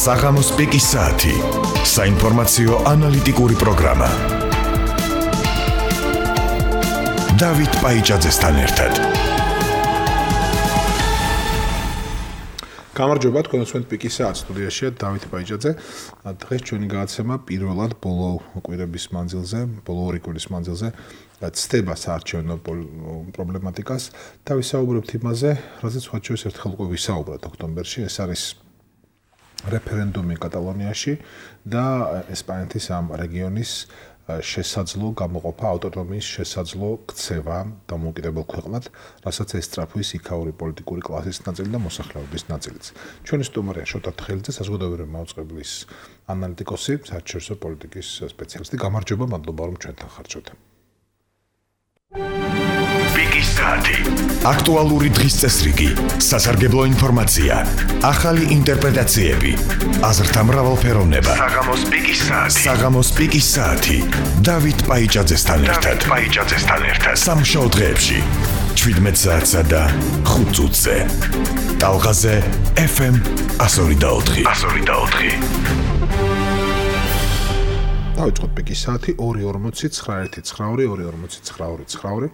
საღამოს პიკის საათი. საინფორმაციო ანალიტიკური პროგრამა. დავით პაიჭაძესთან ერთად. გამარჯობა, თქვენ უსმენთ პიკის საათს, სტუდიაშია დავით პაიჭაძე. დღეს ჩვენი გადაცემა პირველად ბოლო კვირების მანძილზე, ბოლო ორი კვირის მანძილზე ცდება საარჩევნო პრობლემატიკას და ვისაუბრებთ იმაზე, რაზეც ვთქვათ შევს ერთხელ უკვე ვისაუბროთ ოქტომბერში, ეს არის რეფერენდუმი კატალონიაში და ესპანეთის ამ რეგიონის შესაძლო გამოყოფა, ავტონომიის შესაძლო ქცევა დამოუკიდებელ ქვეყნად, რასაც ესწრაფვის იქაური პოლიტიკური კლასის ნაწილი და მოსახლეობის ნაწილიც. ჩვენი სტუმარია შოთა თხელიძე, საზოგადოებრივი მაუწყებლის ანალიტიკოსი, საერთაშორისო პოლიტიკის სპეციალისტი. გამარჯობა, მადლობა რომ ჩვენთან ხართ შოთა. პიკის საათი. აქტუალური დღის წესრიგი, სასარგებლო ინფორმაცია, ახალი ინტერპრეტაციები, აზრთა მრავალფეროვნება. საღამოს პიკის საათი. საღამოს პიკის საათი. დავით პაიჭაძესთან ერთად. სამშაბათ დღეებში 17 საათსა და 5 წუთზე. ტალღაზე FM 102.4. დავიწყოთ პიკის საათი 2:49-2:49.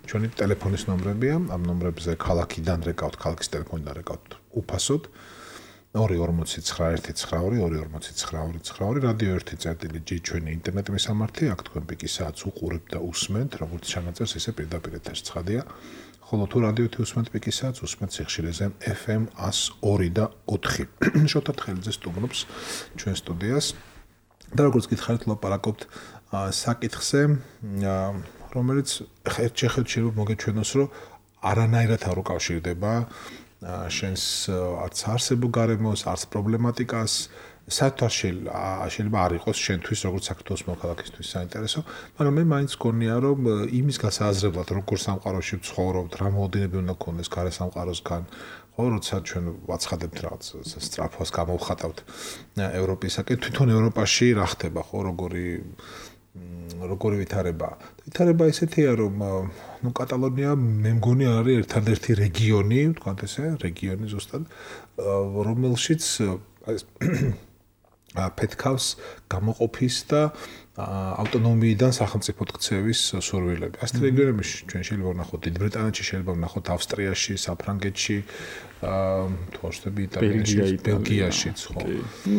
ჩვენი ტელეფონის ნომრებია, ამ ნომრებზე ქალაქიდან რეკავთ, ქალაქის ტელეფონიდან რეკავთ უფასოდ. 2:49-2:49. რადიო 1.G ჩვენი ინტერნეტ მესამართი, აქ თქვენ პიკის საათს უყურებთ და უსმენთ, როგორც ჩანაწერს, ისე პირდაპირ ეთერს ცხადია. ხოლო თუ რადიო 1 უსმენთ პიკის საათს, უსმენთ სიხშირეზე FM 102.4. შოთა თხელიძე სტუმრობს ჩვენ სტუდიას. და როგორც გითხარით, ლაპარაკობთ საკითხზე, რომელიც ერთ-ერთ შეიძლება მოგეჩვენოს, რომ არანაირად არ უკავშირდება შენს არც არსებულ გარემოს, არც პრობლემატიკას, საერთოდ შეიძლება არ იყოს შენთვის, როგორც საქართველოს მოქალაქისთვის საინტერესო, მაგრამ მე მაინც გქონია, რომ იმის გასააზრებლად, როგორ სამყაროში ვცხოვრობთ, რა მოლოდინები უნდა გქონდეს გარე სამყაროსგან, ხო, როცა ჩვენ ვაცხადებთ რაღაც სწრაფვას გამოვხატავთ ევროპისაკენ, თვითონ ევროპაში რა ხდება, ხო, როგორი ვითარება. ვითარება ესეთია, რომ კატალონია მე მგონი არის ერთადერთი რეგიონი, ვთქვათ ესე, რეგიონი ზუსტად, რომელშიც ფეთქავს გამოყოფის და ავტონომიიდან სახელმწიფოდ ქცევის სურვილები. ასეთ რეგიონებში ჩვენ შეიძლება ვნახოთ დიდ ბრიტანეთში, შეიძლება ვნახოთ ავსტრიაში, საფრანგეთში, თუ ხდება იტალიაში, ბელგიაშიც, ხო.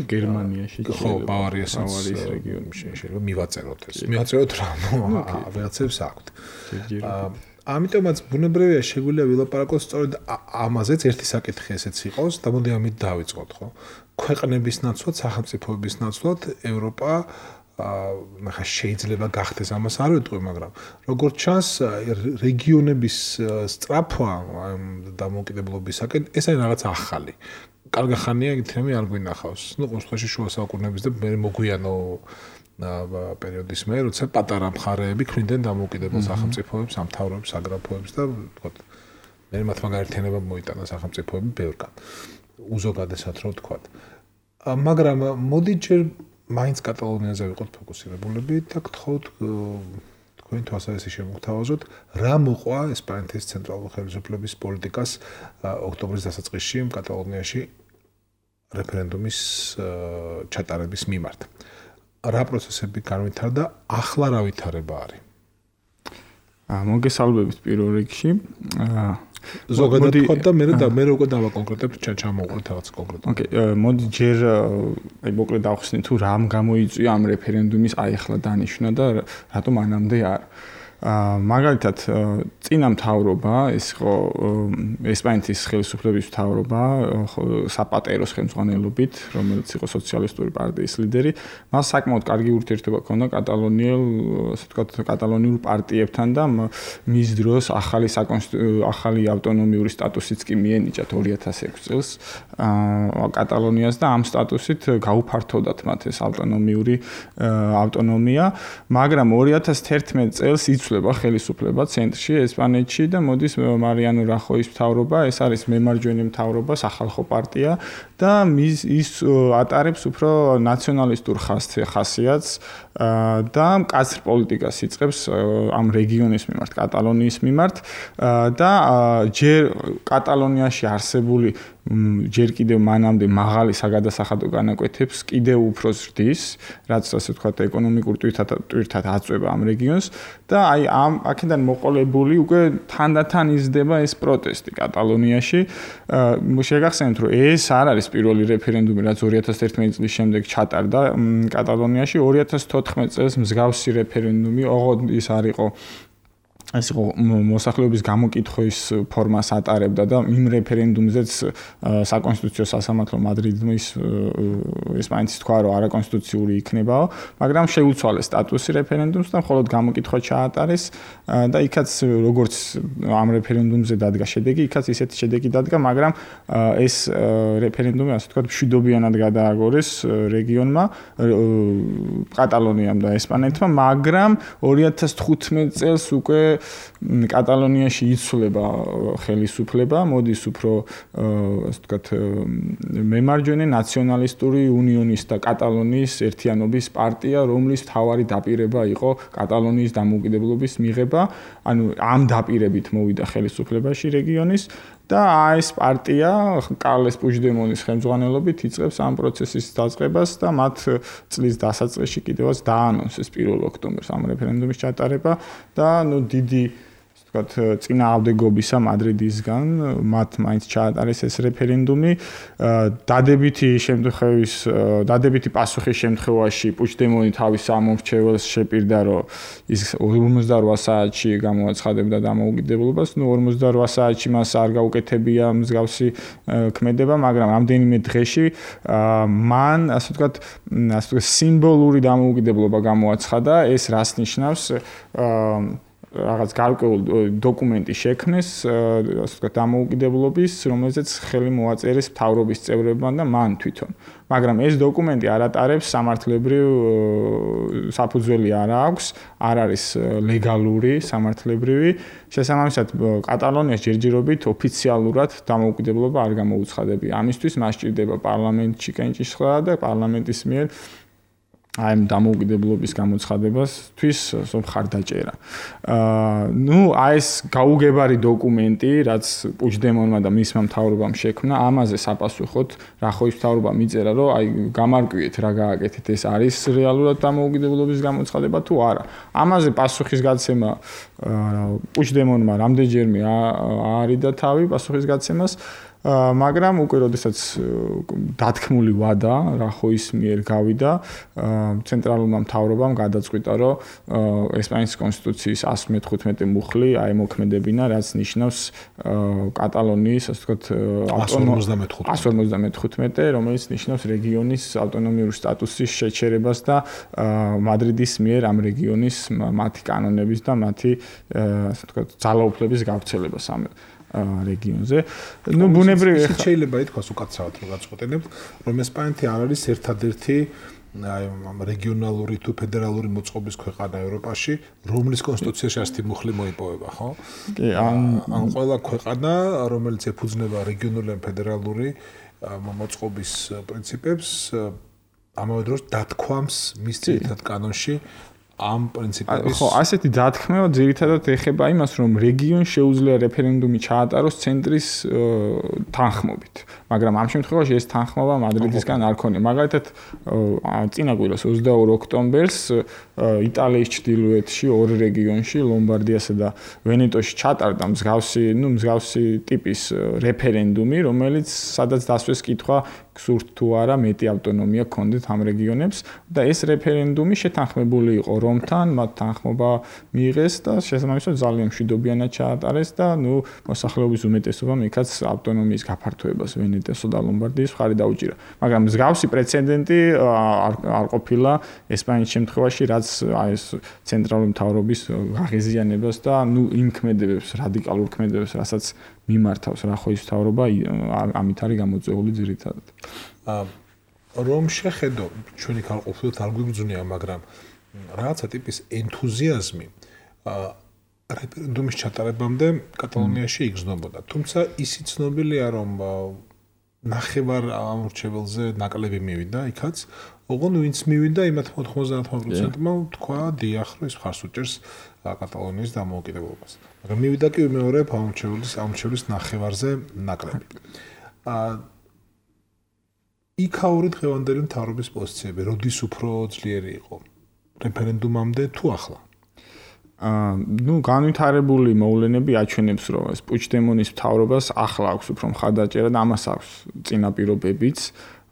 გერმანიაში, ხო, ბავარიასაც რეგიონში შეიძლება მივაწეროთ ეს. მივაწეროთ რა, ვიღაცებს აქვთ. ამიტომაც ბუნებრივია შეგვიძლია ვილაპარაკოთ სწორედ ამაზეც ერთი საკითხი ესეც იყოს და მოდი ამით დავიწყოთ, ხო. ქვეყნების ნაცვლად, სახელმწიფოების ნაცვლად ევროპა ახლა შეიძლება გახდეს ამას არ ვიტყვი, მაგრამ როგორც ჩანს, რეგიონების სწრაფვა დამოუკიდებლობისაკენ ეს არის რაღაც ახალი. კარგი ხანია ითემი არ გვინახავს. ნუ ყოველ შემთხვევაში შუა საუკუნეების და მე მოგვიანო პერიოდის მე, როცა პატარა მხარეები ქმნიდნენ დამოუკიდებელ სახელმწიფოებს, სამთავროებს, საგრაფოებს და ვთქვათ, მე მათმა გაერთიანებამ მოიტანა სახელმწიფოები ბევრგან. უზოგადესად რო ვთქვათ. მაგრამ მოდი ჯერ მაინც კატალონიაზე ვიყოთ ფოკუსირებულები და გთხოვთ თქვენ თვალსაზრისით შემოგთავაზოთ, რა მოყვა ესპანეთის ცენტრალური ხელისუფლების პოლიტიკას ოქტომბრის დასაწყისში კატალონიაში რეფერენდუმის ჩატარების მიმართ. რა პროცესები განვითარდა, ახლა რა ვითარება არის? მოგესალმებით პირველ რიგში. ზოგადად თქვა და მე უკვე დავაკონკრეტებ, ჩამოვყოთ რაღაც კონკრეტულად. ოკეი, მოდი ჯერ მოკლედ დავხსნით თუ რამ გამოიწვია ამ რეფერენდუმის ახლა დანიშვნა და რატომ მანამდე არ. მაგალითად, წინა მთავრობა, ეს იყო ესპანეთის ხელისუფლების მთავრობა, საპატეროს ხელმძღვანელობით, რომელიც იყო სოციალისტური პარტიის ლიდერი, მას საკმაოდ კარგი ურთიერთობა ჰქონდა კატალონიურ პარტიებთან და მის დროს ახალი ავტონომიური სტატუსიც კი მიენიჭათ 2006 წელს კატალონიას და ამ სტატუსით გაუფართოვდათ მათ ეს ავტონომია, მაგრამ 2011 წელს იცვლება ხელისუფლება ცენტრში ესპანეთში და მოდის მარიანო რახოის მთავრობა, ეს არის მემარჯვენე მთავრობა, სახალხო პარტია და ის ატარებს უფრო ნაციონალისტურ ხასიათს და მკაცრ პოლიტიკას იწყებს ამ რეგიონის მიმართ, კატალონიის მიმართ და ჯერ კატალონიაში არსებული ჯერ კიდევ მანამდე მაღალი საგადასახადო განაკვეთებს კიდევ უფრო ზრდის, რაც ასე ვთქვათ ეკონომიკურ ტვირთად აწვება ამ რეგიონს და აი ამ აქედან მოყოლებული უკვე თანდათან იზრდება ეს პროტესტი კატალონიაში. შეგახსენებთ, რომ ეს არ არის პირველი რეფერენდუმი, რაც 2011 წლის შემდეგ ჩატარდა კატალონიაში. 2014 წელს მსგავსი რეფერენდუმი, ოღონდ ის არ იყო ეს იყო მოსახლეობის გამოკითხვის ფორმას ატარებდა და იმ რეფერენდუმზეც საკონსტიტუციო სასამართლო მადრიდის ესპანეთის თქვა რომ არაკონსტიტუციური იქნებაო, მაგრამ შეუცვალეს სტატუსი რეფერენდუმს და მხოლოდ გამოკითხვა ჩაატარეს და იქაც როგორც ამ რეფერენდუმზე დადგა შედეგი, იქაც ისეთი შედეგი დადგა, მაგრამ ეს რეფერენდუმი ასე ვთქვათ მშვიდობიანად გადააგორეს რეგიონმა, კატალონიამ და ესპანეთმა, მაგრამ 2015 წელს უკვე კატალონიაში იცვლება ხელისუფლება, მოდის უფრო ასე ვთქვათ მემარჯვენე ნაციონალისტური უნიონის და კატალონიის ერთიანობის პარტია, რომლის მთავარი დაპირება იყო კატალონიის დამოუკიდებლობის მიღება, ანუ ამ დაპირებით მოვიდა ხელისუფლებაში რეგიონის და ეს პარტია კარლეს პუიგდემონის ხელმძღვანელობით იწყებს ამ პროცესის დაწყებას და მათ წლის დასაწყისში კიდევაც დაანონსეს 1 ოქტომბერს ამ რეფერენდუმის ჩატარება და დიდი ვთქვათ წინააღმდეგობისა მადრიდისგან მათ მაინც ჩაატარეს ეს რეფერენდუმი დადებითი პასუხის შემთხვევაში პუიგდემონი თავის ამომრჩეველს შეპირდა რომ ის 48 საათში გამოაცხადებდა დამოუკიდებლობას, 48 საათში მას არ გაუკეთებია მსგავსი ქმედება, მაგრამ ამდენიმე დღეში მან ასე ვთქვათ სიმბოლური დამოუკიდებლობა გამოაცხადა, ეს რას ნიშნავს რაღაც გარკვეულ დოკუმენტი შექმნეს, ასე ვთქვათ, დამოუკიდებლობის, რომელზეც ხელი მოაწერეს მთავრობის წევრებმა და მან თვითონ. მაგრამ ეს დოკუმენტი არ ატარებს სამართლებრივ საფუძველი არ აქვს, არ არის ლეგალური, სამართლებრივი. შესაბამისად, კატალონიას ჯერჯერობით ოფიციალურად დამოუკიდებლობა არ გამოუცხადებია. ამისთვის მას სჭირდება პარლამენტში კენჭისყრა და პარლამენტის მიერ აი ამ დამოუკიდებლობის გამოცხადებასთვის მხარდაჭერა. აი ეს გაუგებარი დოკუმენტი, რაც პუიგდემონმა და მისმა მთავრობამ შექმნა, ამაზე საპასუხოდ რახოის მთავრობამ მიწერა, რომ აი გამარკვიეთ რა გააკეთეთ, ეს არის რეალურად დამოუკიდებლობის გამოცხადება თუ არა. ამაზე პასუხის გაცემა პუიგდემონმა რამდენჯერმე არიდა თავი პასუხის გაცემას, მაგრამ უკვე როდესაც დათქმული ვადა რახოის მიერ გავიდა, ცენტრალურმა მთავრობამ გადაწყვიტა, რომ ესპანეთის კონსტიტუციის 115 მუხლი აემოქმედებინა, რაც ნიშნავს კატალონიის, ასე ვთქვათ, 155, რომელიც ნიშნავს რეგიონის ავტონომიური სტატუსის შეჩერებას და მადრიდის მიერ ამ რეგიონის მათი კანონების და მათი, ასე ვთქვათ, ძალაუფლების გავრცელებას ამ რეგიონზე. ბუნებრივია შეიძლება ითქვას უკაცრავად რომ გაწყვეტინებთ, რომ ესპანეთი არ არის ერთადერთი რეგიონალური თუ ფედერალური მოწყობის ქვეყანა ევროპაში, რომლის კონსტიტუციაში ასეთი მუხლი მოიპოვება, ხო? კი, ან ყველა ქვეყანა, რომელიც ეფუძნება რეგიონული ან ფედერალური მოწყობის პრინციპებს, ამავე დროს დათქვამს მის ძირითად კანონში ამ პრინციპების ხო, ასეთი დათქმევა ძირითადად ეხება იმას, რომ რეგიონს შეუძლია რეფერენდუმი ჩაატაროს ცენტრის თანხმობით. მაგრამ ამ შემთხვევაში ეს თანხმობა მადრიდისგან არ ქონია. მაგალითად, წინა კვირას 22 ოქტომბერს იტალიის ჩრდილოეთში ორ რეგიონში, ლომბარდიასა და ვენეტოში ჩატარდა მსგავსი ტიპის რეფერენდუმი, რომელიც სადაც დასვეს კითხვა გსურთ თუ არა მეტი ავტონომია გქონდეთ ამ რეგიონებს და ეს რეფერენდუმი შეთანხმებული იყო რომთან, მათ თანხმობა მიიღეს და შესაბამისად ძალიან მშვიდობიანად ჩაატარეს და მოსახლეობის უმეტესობამ იქაც ავტონომიის გაფართოებას ვენეტესო და ლომბარდიის მხარი დაუჭირა. მაგრამ მსგავსი პრეცედენტი არ ყოფილა ესპანეთის შემთხვევაში, რაც ეს ცენტრალური მთავრობის აღიზიანებას და იმ ქმედებებს, რადიკალურ ქმედებებს, რასაც მიმართავს რახოის მთავრობა, ამით არის გამოწვეული ძირითადად. რომ შეხედო ჩვენი ქალყოფილოთ არ გვიგზნია, მაგრამ რაღაცა ტიპის ენთუზიაზმი რეფერენდუმის ჩატარებამდე კატალონიაში იგრძნობოდა. თუმცა ისიც ცნობილია, რომ ნახევარ ამორჩეველზე ნაკლები მივიდა იქაც, ოღონდ ვინც მივიდა იმათ 99%-მა თქვა დიახ, რომ ეს მხარს უჭერს კატალონიის დამოუკიდებლობას. მაგრამ მივიდა კი მეორე ამორჩეველის ნახევარზე ნაკლები. იქაური დღევანდელი მთავრობის პოზიციები, როდის უფრო ძლიერი იყო? რეფერენდუმამდე თუ ახლა? განვითარებული მოვლენები აჩვენებს, რომ ეს პუჩდემონის მთავრობას ახლა აქვს უფრო მხარდაჭერა და ამას აქვს წინაპირობებიც.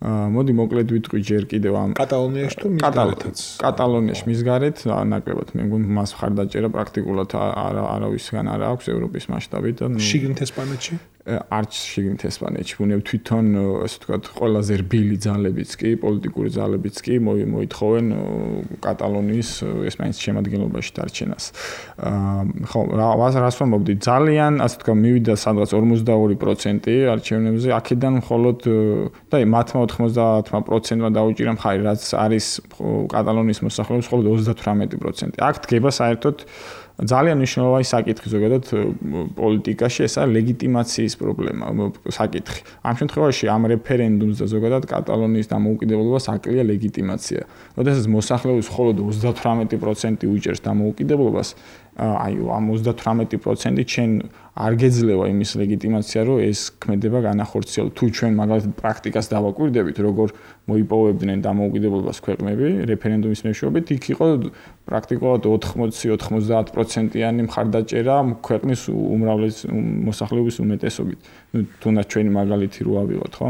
მოდი მოკლედ ვიტყვი ჯერ კიდევ ამ კატალონიაში თუ მისგარეთაც. კატალონიაში მისგარეთ ნაკლებად მე მგონი მას მხარდაჭერა პრაქტიკულად არავისგან არ აქვს ევროპის მასშტაბით და შიგნით ესპანეთში? არც შიგნით ესპანეთში. ბუნებ თვითონ ასე ვთქვათ ყველაზე რბილი ძალებიც კი, პოლიტიკური ძალებიც კი მოითხოვენ კატალონიის ესპანეთის შემადგენლობაში დარჩენას. ხო, რას ვამბობდი? ძალიან ასე ვთქვათ მივიდა სადღაც 52% არჩევნებზე, აქედან მხოლოდ და მათმა 90%-მა დაუჭირა მხარი, რაც არის კატალონიის მოსახლეობის მხოლოდ 38%. აქ დგება საერთოდ ძალიან მნიშვნელოვანი საკითხი ზოგადად პოლიტიკაში, ეს არის ლეგიტიმაციის პრობლემა, საკითხი. ამ შემთხვევაში ამ რეფერენდუმს და ზოგადად კატალონიის დამოუკიდებლობას აკლია ლეგიტიმაცია. როდესაც მოსახლეობის მხოლოდ 38% უჭერს დამოუკიდებლობას, აი ამ 38% ჩვენ არ გეძლევა იმის ლეგიტიმაცია, რომ ეს ქმედება განახორციელოს. თუ ჩვენ მაგალითად პრაქტიკას დავაკვირდებით, როგორ მოიპოვებდნენ დამოუკიდებლობას ქვეყნები რეფერენდუმის მეშვეობით, იქ იყო პრაქტიკულად 80-90%-იანი მხარდაჭერა ქვეყნის უმრავლეს მოსახლეობის უმეტესობით. თუნდაც ჩვენი მაგალითი რო ავიღოთ, ხო?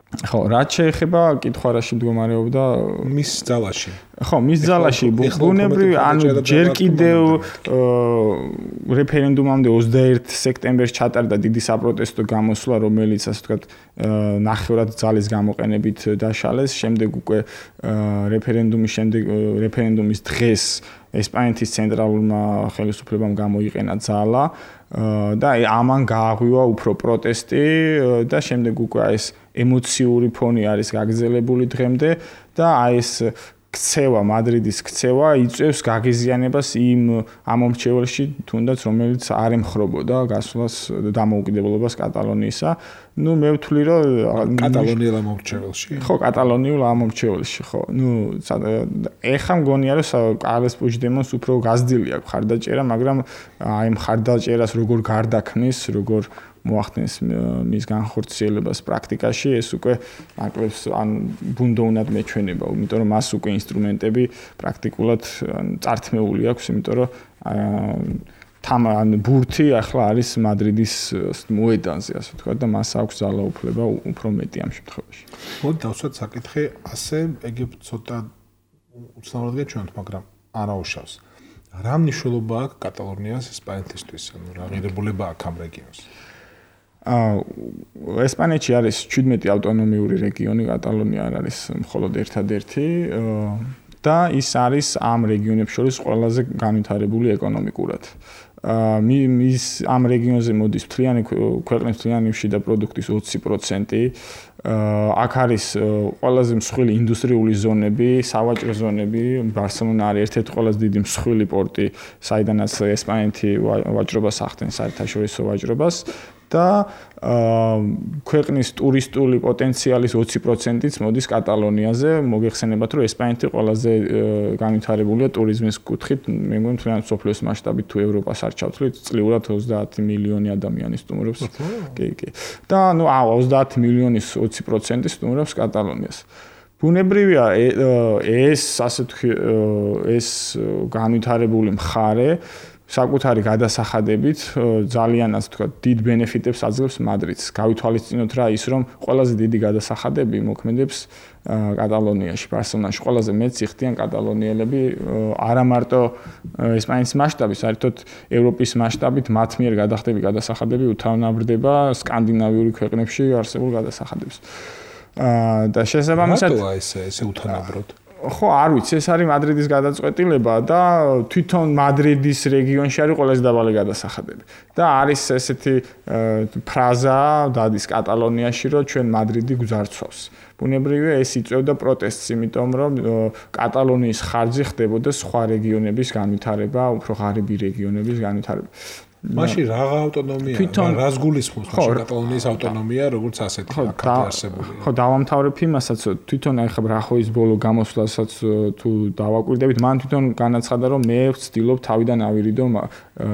ხო, რაც შეეხება კითხვა რაში მდგომარეობდა მის ძალაში. ხო, მის ძალაში ბუნებრივი ანუ ჯერ კიდევ რეფერენდუმამდე 21 სექტემბერს ჩატარდა დიდი საპროტესტო გამოსვლა, რომელიც ასე ვთქვათ ნახევრად ძალის გამოყენებით დაშალეს. შემდეგ უკვე რეფერენდუმის დღეს ესპანეთის ცენტრალურმა ხელისუფლებამ გამოიყენა ძალა და ამან გააღვივა უფრო პროტესტი და შემდეგ უკვე ეს ემოციური ფონი არის გაგრძელებული დღემდე და ეს ქცევა, მადრიდის ქცევა იწევს გაღიზიანებას იმ ამომრჩეველში, თუნდაც რომელიც არ ემხრობოდა გასვლას დამოუკიდებლობას კატალონიისა. ნუ მე ვთვლი, რომ კატალონიელ ამომრჩეველში. ხო, კატალონიურ ამომრჩეველში, ხო. ნუ ეხა მგონია, რომ კარლეს პუჩდემონს უფრო გაზრდილი აქვს მხარდაჭერა, მაგრამ აი მხარდაჭერას როგორ გარდაქმნის, როგორ მოახდენს მის განხორციელებას პრაქტიკაში, ეს უკვე ნაკლებს ან ბუნდოვნად მეჩვენება, იმიტომ რომ მას უკვე ინსტრუმენტები პრაქტიკულად წართმეული აქვს, იმიტომ რომ ბურთი ახლა არის მადრიდის მოედანზე, ასე ვთქვათ, და მას აქვს ძალაუფლება უფრო მეტი ამ შემთხვევაში. მოდი დავსვათ საკითხი, ასე ეგ ცოტა უცნაურად გეჩვენოთ, მაგრამ არაუშავს. რა მნიშვნელობა აქვს კატალონიას ესპანეთისთვის, ანუ რა ღირებულება აქვს ამ რეგიონს? ესპანეთში არის 17 ავტონომიური რეგიონი, კატალონია არ არის მხოლოდ ერთადერთი და ის არის ამ რეგიონებს შორის ყველაზე განვითარებული ეკონომიკურად. მის ამ რეგიონზე მოდის ქვეყნის მთლიანი შიდა პროდუქტის 20%. აქ არის ყველაზე მსხვილი ინდუსტრიული ზონები, სავაჭრო ზონები, ბარსელონა არის ერთ-ერთი ყველაზე დიდი მსხვილი პორტი, საიდანაც ესპანეთი ვაჭრობას ახდენს, საერთაშორისო ვაჭრობას. და ქვეყნის ტურისტული პოტენციალის 20%-იც მოდის კატალონიაზე. მოგეხსენებათ, რომ ესპანეთი ყველაზე განვითარებულია ტურიზმის კუთხით, მე მგონი თუნდაც სოფლის მასშტაბით თუ ევროპას არ ჩავთვლით, წლიურად 30 მილიონი ადამიანი სტუმრობს. კი. და ნუ 30 მილიონის 20% სტუმრობს კატალონიას. ბუნებრივია ეს ასე ეს განვითარებული მხარე საკუთარი გადასახადებით ძალიან ასე ვთქვათ დიდ ბენეფიტებს აძლევს მადრიდს. გავითვალისწინოთ რა ის რომ ყველაზე დიდი გადასახადები მოქმედებს კატალონიაში, ბარსელონაში. ყველაზე მეტს იხდიან კატალონიელები არა მარტო ესპანეთის მასშტაბით, საერთოდ ევროპის მასშტაბით მათ მიერ გადახდები გადასახადები უთავნაბრდება სკანდინავიური ქვეყნებში არსებულ გადასახადებს. და შესაბამისად ესე უთანაბროდ ხო, არ ვიცი, ეს არის მადრიდის გადაწყვეტილება და თვითონ მადრიდის რეგიონში არის ყველაზე დაბალი გადასახადები. და არის ესეთი ფრაზა დადის კატალონიაში, რომ ჩვენ მადრიდი გვძარცვავს. ბუნებრივია ეს იწვევდა პროტესტს, იმიტომ რომ კატალონიის ხარჯი ხდებოდა სხვა რეგიონების განვითარება, უფრო ღარიბი რეგიონების განვითარება. მაშინ რაღა ავტონომია, რას გულისხმობს მაშინ კატალონიის ავტონომია, როგორც ასეთი აქადარსებული. ხო, დავამთავრებ იმასაც, თვითონ ახლა ბრახოის ბოლო გამოსვლასაც თუ დავაკვირდებით, მან თვითონ განაცხადა, რომ მე ვცდილობ თავიდან ავირიდო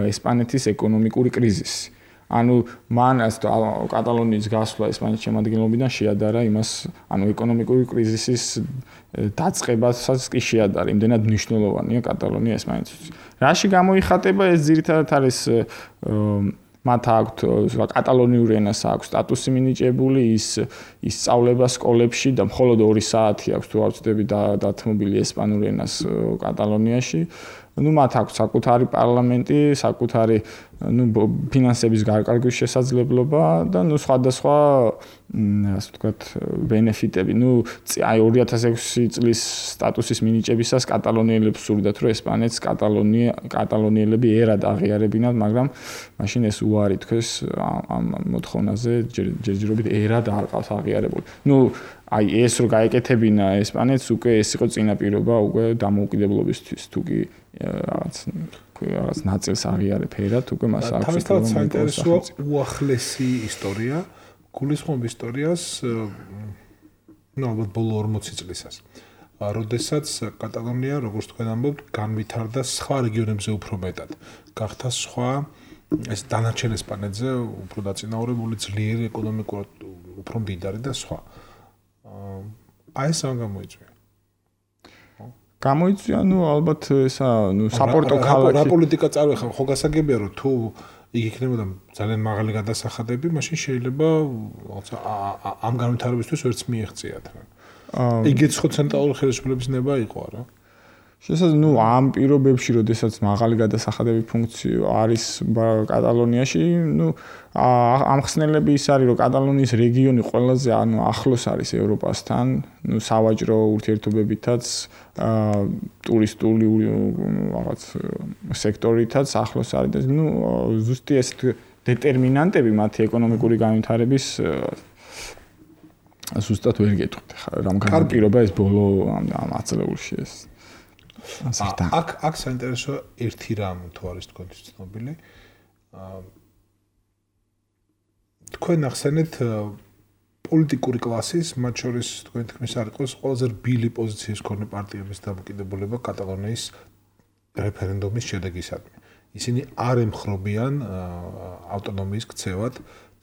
ესპანეთის ეკონომიკური კრიზისი. ანუ მან კატალონიის გასვლა ესპანეთის შემადგენლობიდან შეადარა იმას, ანუ ეკონომიკური კრიზისის დაწყებასაც კი შეადარა, იმდენად მნიშვნელოვანია კატალონია ესპანეთისთვის. რაში გამოიხატება ეს ძირითადად არის მათ აქვთ კატალონიური ენას აქვს სტატუსი მინიჭებული, ის სწავლება სკოლებში და მხოლოდ 2 საათი აქვს თუ არ ვცდები დათმობილი ესპანური ენას კატალონიაში. ну მათ აქვს საკუთარი პარლამენტი, საკუთარი ფინანსების გარკვევის შესაძლებლობა და სხვადასხვა ასე ვთქვათ ბენეფიტები. აი 2006 წლის სტატუსის მინიჭებისას კატალონიელებს სურდათ, რომ ესპანეთს კატალონიელები ერად აღიარებინათ, მაგრამ მაშინ ეს უარი თქვეს ამ მოთხოვნაზე ჯერჯერობით ერად არ ყავს აღიარებული. აი ეს რო გაეკეთებინა ესპანეთს, უკვე ეს იყო წინაპირობა უკვე დამოუკიდებლობისთვის, თუ კი რაღაც ნაწილს აღიარებ ერად, უკვე მას აქვს. თავისთავად საინტერესოა უახლესი ისტორია, გულისხმობ ისტორიას, ალბათ ბოლო 40 წლისას. როდესაც კატალონია, როგორც თქვენ ამბობთ, განვითარდა სხვა რეგიონებზე უფრო მეტად. გახდა სხვა ეს დანარჩენ ესპანეთზე უფრო დაწინაურებული, ძლიერი ეკონომიკურად უფრო მდიდარი და სხვა. აი ეს ამ გამოიწვია. გამოიწვია, ალბათ ესა, საპორტო ქალაქი. რა პოლიტიკა წარვეხა, ხო გასაგებია, რომ თუ იგი იქნებოდა ძალიან მაღალი გადასახადები, მაშინ შეიძლება ამ განვითარებისთვის ვერც მიეღწიათ. იგიც ხო ცენტრალური ხელისუფლების ნება იყო, არა? შესაძლოა, ამ პირობებში, როდესაც მაღალი გადასახადები ფუნქციო არის კატალონიაში, ამხსნელები ის არის, რომ კატალონიის რეგიონი ყველაზე ახლოს არის ევროპასთან, სავაჭრო ურთიერთობებითაც, ტურისტული რაღაც სექტორითაც ახლოს არის და ზუსტი ეს დეტერმინანტები მათი ეკონომიკური განვითარების ზუსტად ვერ გეტყვით, რამგან პირობა ეს ბოლო ამ აწლეულში ეს აქ საინტერესოა ერთი რამ თუ არის თქვენთვის ცნობილი. თქვენ ახსენეთ პოლიტიკური კლასის, მათ შორის თქვენ თქმის არ იყოს ყველაზე რბილი პოზიციის მქონე პარტიების დამოკიდებულება კატალონიის რეფერენდუმის შედეგისადმი. ისინი არ ემხრობიან ავტონომიის ქცევად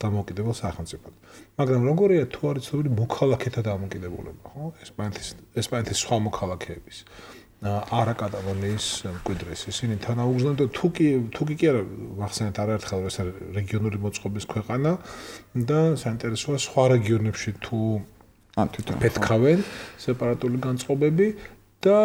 დამოკიდებელ სახელმწიფოდ. მაგრამ როგორია თუ არის ცნობილი მოქალაქეთა დამოკიდებულება, ხო? ესპანეთის სხვა მოქალაქეების. არა კატალონიის მკვიდრის ისინი თანაუგრძნობენ და თუ კი არა ვახსენეთ არაერთხელ ეს რეგიონული მოწყობის ქვეყანა და საინტერესოა სხვა რეგიონებში თუ პეთქავენ სეპარატული განწყობები და